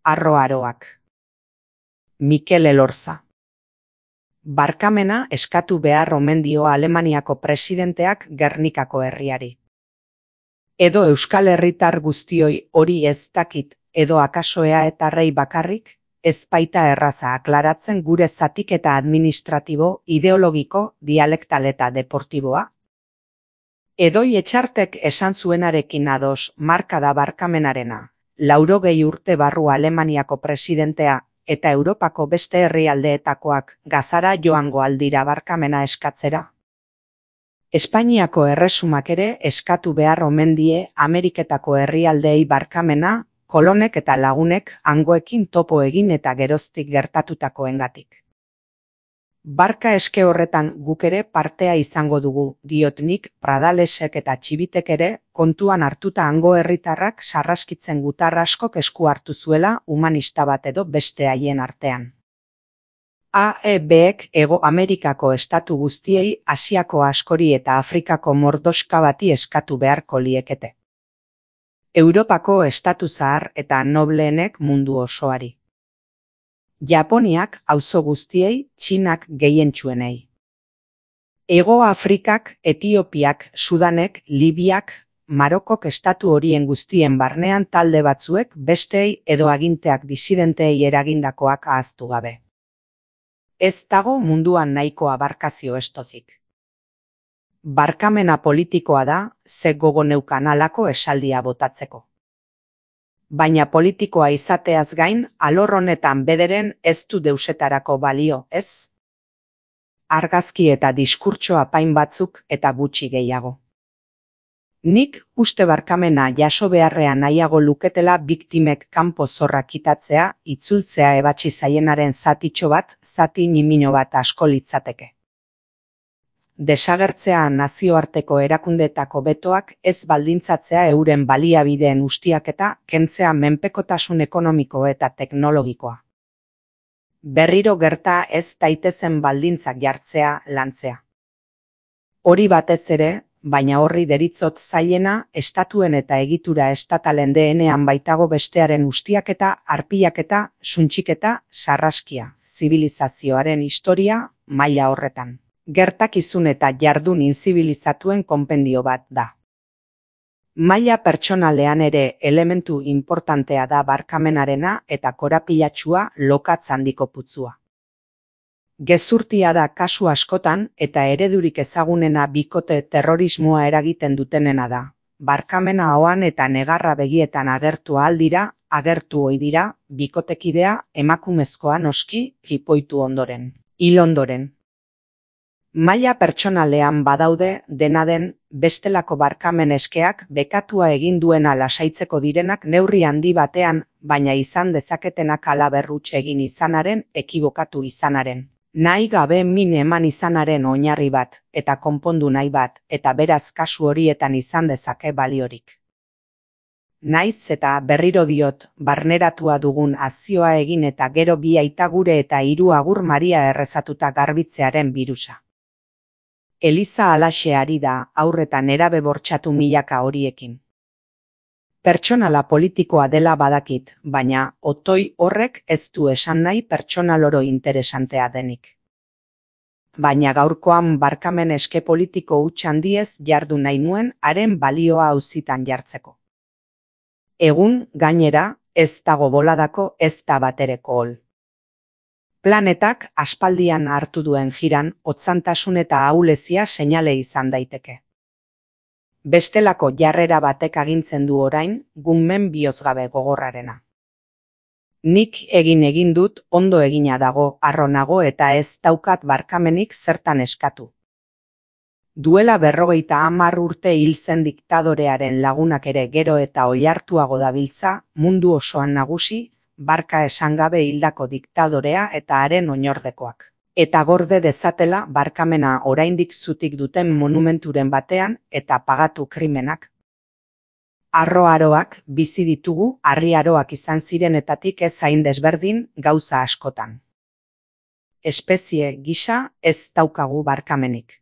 Arro-aroak. Mikel Elorza. Barkamena eskatu behar omen dio Alemaniako presidenteak Gernikako herriari. Edo euskal herritar guztioi hori ez dakit, edo akaso eaetarrei bakarrik, ez baita erraza aklaratzen gure zatiketa administratibo, ideologiko, dialektal eta deportiboa? Edoi Etxartek esan zuenarekin ados marka da barkamenarena, 80 urte barru Alemaniako presidentea, eta Europako beste herrialdeetakoak gazara joango aldira barkamena eskatzera. Espainiako erresumak ere eskatu behar omen die Ameriketako herrialdeei barkamena, kolonek eta lagunek hangoekin topo egin eta geroztik gertatutakoengatik. Barka eske horretan guk ere partea izango dugu, diot nik, Pradalesek eta Txibitek ere kontuan hartuta hango herritarrak sarraskitzen gutar askok esku hartu zuela humanista bat edo beste haien artean. AEBek Hego Amerikako estatu guztiei Asiako askori eta Afrikako mordoska bati eskatu beharko liekete. Europako estatu zahar eta nobleenek mundu osoari. Japoniak auzo guztiei, Txinak gehientsuenei. Hego Afrikak, Etiopiak, Sudanek, Libiak, Marokok estatu horien guztien barnean talde batzuek besteei edo aginteak disidenteei eragindakoak ahaztu gabe. Ez dago munduan nahikoa barkazio estozik. Barkamena politikoa da, ze gogo neukan halako esaldia botatzeko. Baina politikoa izateaz gain, alor honetan bederen ez du deusetarako balio, ez? Argazki eta diskurtso apain batzuk eta gutxi gehiago. Nik uste barkamena jaso beharrean nahiago luketela biktimek kanpo zorra kitatzea, itzultzea ebatsi zaienaren zatitxo bat, zati nimino bat asko litzateke. Desagertzea nazioarteko erakundeetako betoak ez baldintzatzea euren baliabideen ustiaketa kentzea menpekotasun ekonomiko eta teknologikoa. Berriro gerta ez daitezen baldintzak jartzea lantzea. Hori batez ere, baina horri deritzot zailena, estatuen eta egitura estatalen DNA-an baitago bestearen ustiaketa, arpilaketa, suntxiketa, sarraskia, zibilizazioaren historia, maila horretan. Gertakizun eta jardun inzibilizatuen konpendio bat da. Maila pertsonalean ere elementu importantea da barkamenarena eta korapilatxua lokatz handiko putzua. Gezurtia da kasu askotan eta eredurik ezagunena bikote terrorismoa eragiten dutenena da. Barkamena ahoan eta negarra begietan agertu ahaldira, agertu ohi dira, bikotekidea emakumezkoa noski jipoitu ondoren, hil ondoren. Maila pertsonalean badaude dena den bestelako barkamen eskeak bekatua egin duena lasaitzeko direnak neurri handi batean, baina izan dezaketenak halaberruts egin izanaren, ekibokatu izanaren. Nahi gabe min eman izanaren oinarri bat, eta konpondu nahi bat, eta beraz kasu horietan izan dezake baliorik. Naiz eta berriro diot, barneratua dugun azioa egin eta gero bi aita gure eta 3 agur Maria errezatuta garbitzearen birusa. Eliza halaxe ari da aurreta nerabe bortxatu milaka horiekin. Pertsonala politikoa dela badakit, baina otoi horrek ez du esan nahi pertsonal oro interesantea denik. Baina gaurkoan barkamen eske politiko huts handiez jardu nahi nuen haren balioa auzitan jartzeko. Egun, gainera, ez dago boladako ez da batereko hol. Planetak aspaldian hartu duen jiran, hotzantasun eta ahulezia seinale izan daiteke. Bestelako jarrera batek agintzen du orain, gunmen bihozgabe gogorrarena. Nik egin dut ondo egina dago, harro nago eta ez daukat barkamenik zertan eskatu. Duela 50 urte hil zen diktadorearen lagunak ere gero eta oihartuago dabiltza, mundu osoan nagusi, barka esan gabe hildako diktadorea eta haren oinordekoak. Eta gorde dezatela barkamena oraindik zutik duten monumenturen batean eta pagatu krimenak. Arro-aroak bizi ditugu, harri-aroak izan zirenetatik ez hain desberdin gauza askotan. Espezie gisa ez daukagu barkamenik.